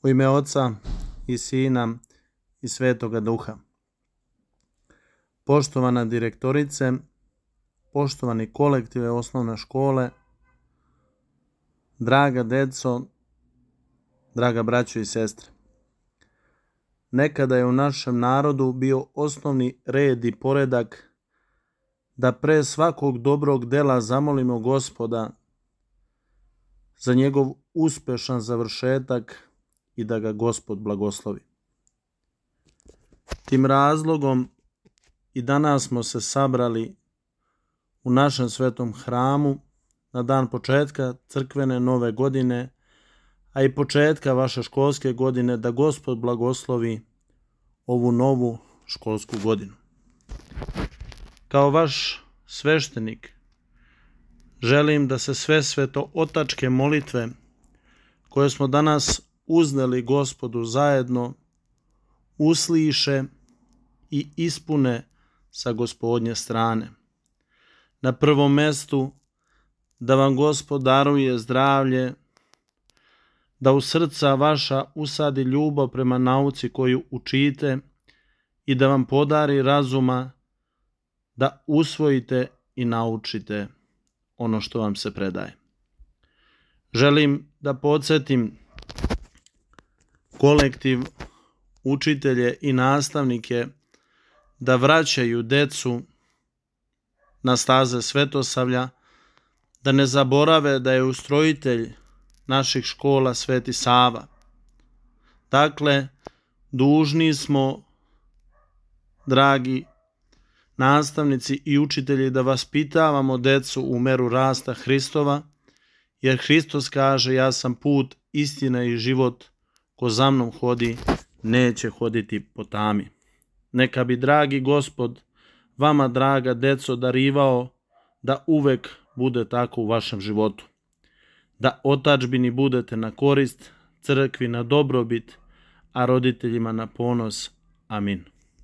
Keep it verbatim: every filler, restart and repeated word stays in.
U ime Oca i Sina i Svetoga Duha. Poštovana direktorice, poštovani kolektive osnovne škole, draga deco, draga braćo i sestre. Nekada je u našem narodu bio osnovni red i poredak da pre svakog dobrog dela zamolimo Gospoda za njegov uspešan završetak i da ga Gospod blagoslovi. Tim razlogom i danas smo se sabrali u našem svetom hramu na dan početka crkvene nove godine, a i početka vaše školske godine, da Gospod blagoslovi ovu novu školsku godinu. Kao vaš sveštenik želim da se sve sveto otačke molitve koje smo danas uzneli Gospodu zajedno usliše i ispune sa Gospodnje strane. Na prvom mestu da vam Gospod daruje zdravlje, da u srca vaša usadi ljubav prema nauci koju učite i da vam podari razuma da usvojite i naučite ono što vam se predaje. Želim da podsjetim kolektiv, učitelje i nastavnike da vraćaju decu na staze svetosavlja, da ne zaborave da je ustrojitelj naših škola Sveti Sava. Dakle, dužni smo, dragi nastavnici i učitelji, da vaspitavamo decu u meru rasta Hristova, jer Hristos kaže: ja sam put, istina i život, ko za mnom hodi, neće hoditi po tami. Neka bi dragi Gospod vama, draga deco, darivao da uvek bude tako u vašem životu. Da otadžbini budete na korist, crkvi na dobrobit, a roditeljima na ponos. Amin.